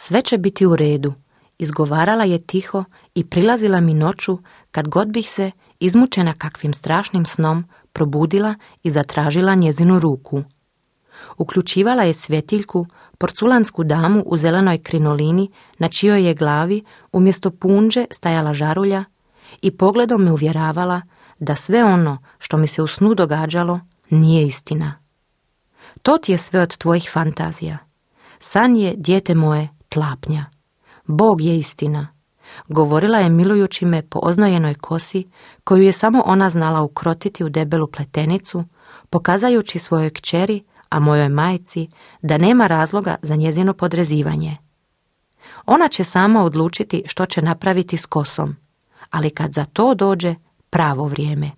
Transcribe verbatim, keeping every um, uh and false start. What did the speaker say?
Sve će biti u redu, izgovarala je tiho i prilazila mi noću kad god bih se, izmučena kakvim strašnim snom, probudila i zatražila njezinu ruku. Uključivala je svjetiljku, porculansku damu u zelenoj krinolini na čijoj je glavi umjesto punđe stajala žarulja i pogledom me uvjeravala da sve ono što mi se u snu događalo nije istina. To ti je sve od tvojih fantazija. San je, dijete moje, tlapnja. Bog je istina. Govorila je milujući me po oznojenoj kosi koju je samo ona znala ukrotiti u debelu pletenicu, pokazajući svojoj kćeri, a mojoj majci, da nema razloga za njezino podrezivanje. Ona će sama odlučiti što će napraviti s kosom, ali kad za to dođe pravo vrijeme.